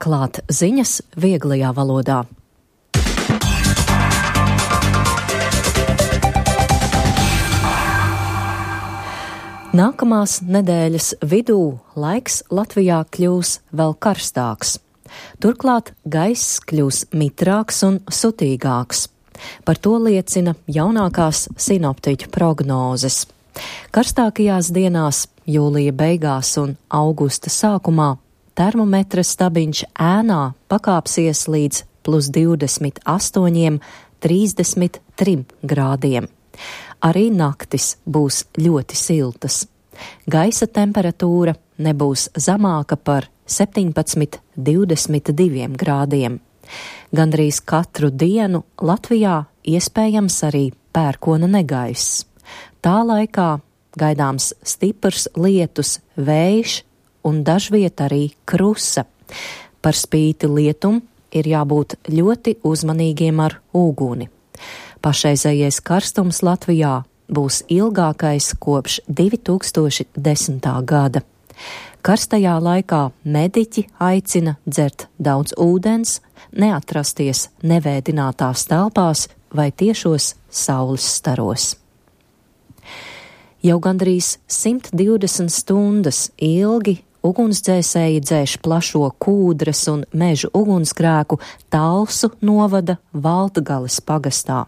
klāt ziņas vieglajā valodā. Nākamās nedēļas vidū laiks Latvijā kļūs vēl karstāks. Turklāt gaiss kļūs mitrāks un sutīgāks. Par to liecina jaunākās sinoptiķu prognozes. Karstākajās dienās, jūlija beigās un augusta sākumā, termometra stabiņš ēnā pakāpsies līdz +28, 33 grādiem. Arī naktis būs ļoti siltas. Gaisa temperatūra nebūs zemāka par 17, 22 grādiem. Gandrīz katru dienu Latvijā iespējams arī pērkona negaiss. Tā laikā gaidāms stiprs lietus, vējš un dažviet arī krusa. Par spīti lietum ir jābūt ļoti uzmanīgiem ar uguni. Pašreizējais karstums Latvijā būs ilgākais kopš 2010. gada. Karstajā laikā mediķi aicina dzert daudz ūdens, neatrasties nevēdinātās telpās vai tiešos saules staros. Jau gandrīz 120 stundas ilgi ugunsdzēsēji dzēš plašo Kūdras un Mežu ugunsgrēku Talsu novada Valtgales pagastā.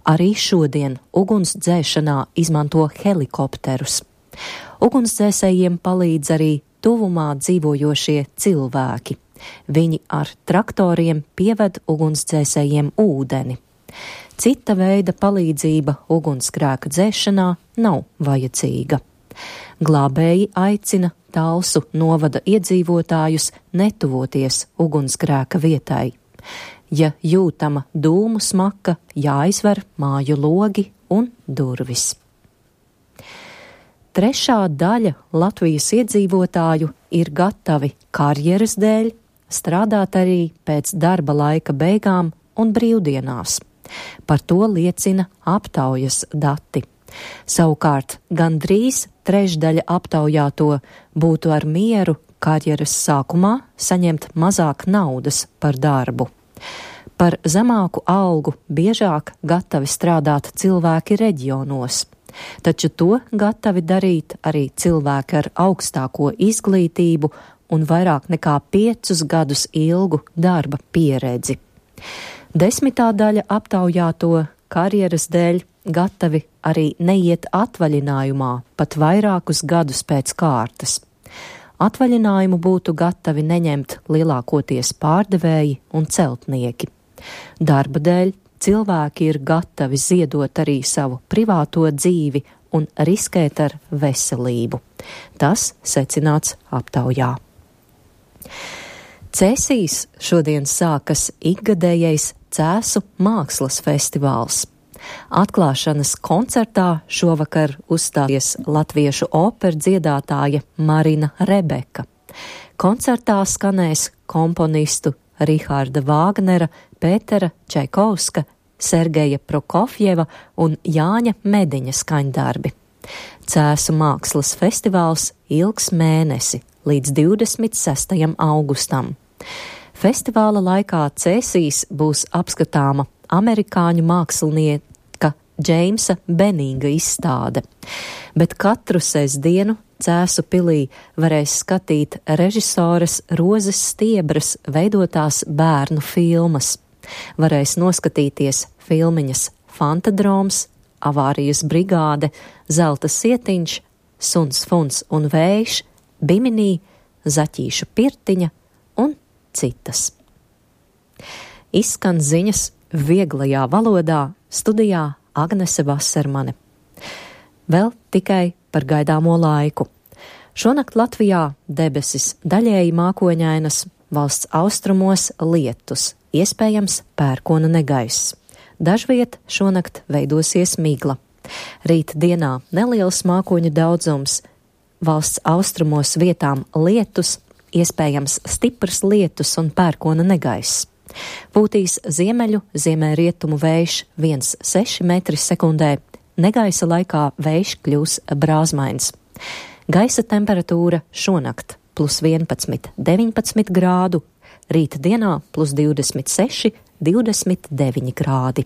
Arī šodien ugunsdzēšanā izmanto helikopterus. Ugunsdzēsējiem palīdz arī tuvumā dzīvojošie cilvēki. Viņi ar traktoriem pieved ugunsdzēsējiem ūdeni. Cita veida palīdzība ugunsgrēka dzēšanā nav vajadzīga. Glābēji aicina Talsu novada iedzīvotājus netuvoties ugunsgrēka vietai. Ja jūtama dūmu smaka, jāizver māju logi un durvis. Trešā daļa Latvijas iedzīvotāju ir gatavi karjeras dēļ strādāt arī pēc darba laika beigām un brīvdienās. Par to liecina aptaujas dati. Savukārt gandrīz trešdaļa aptaujāto būtu ar mieru karjeras sākumā saņemt mazāk naudas par darbu. Par zemāku algu biežāk gatavi strādāt cilvēki reģionos, taču to gatavi darīt arī cilvēki ar augstāko izglītību un vairāk nekā 5 gadus ilgu darba pieredzi. 10. daļa aptaujāto karjeras dēļ gatavi arī neiet atvaļinājumā pat vairākus gadus pēc kārtas. Atvaļinājumu būtu gatavi neņemt lielākoties pārdevēji un celtnieki. Darba dēļ cilvēki ir gatavi ziedot arī savu privāto dzīvi un riskēt ar veselību. Tas secināts aptaujā. Cēsīs šodien sākas ikgadējais Cēsu mākslas festivāls. Atklāšanas koncertā šovakar uzstāsies latviešu operas dziedātāja Marina Rebeka. Koncertā skanēs komponistu Riharda Vāgnera, Pētera Čaikovska, Sergeja Prokofjeva un Jāņa Mediņa skaņdarbi. Cēsu mākslas festivāls ilgs mēnesi līdz 26. augustam. Festivāla laikā Cēsīs būs apskatāma amerikāņu mākslinieka Džeimsa Benīga izstāde, bet katru sestdienu Cēsu pilī varēs skatīt režisores Rozes Stiebras veidotās bērnu filmas. Varēs noskatīties filmiņas Fantadroms, Avārijas brigāde, Zelta sietiņš, Suns, Funs un Vējš, Biminī, Zaķīšu pirtiņa un citas. Izskan ziņas vieglajā valodā, studijā Agnese Vasermane. Vēl tikai par gaidāmo laiku. Šonakt Latvijā debesis daļēji mākoņainas, valsts austrumos lietus, iespējams pērkona negaiss. Dažviet šonakt veidosies migla. Rīt dienā neliels mākoņu daudzums, valsts austrumos vietām lietus, iespējams stiprs lietus un pērkona negaiss. Pūtīs ziemeļu, ziemeļrietumu vējš 1,6 m/sekundē, negaisa laikā vējš kļūs brāzmains. Gaisa temperatūra šonakt +11, 19 grādu, rīta dienā +26, 29 grādi.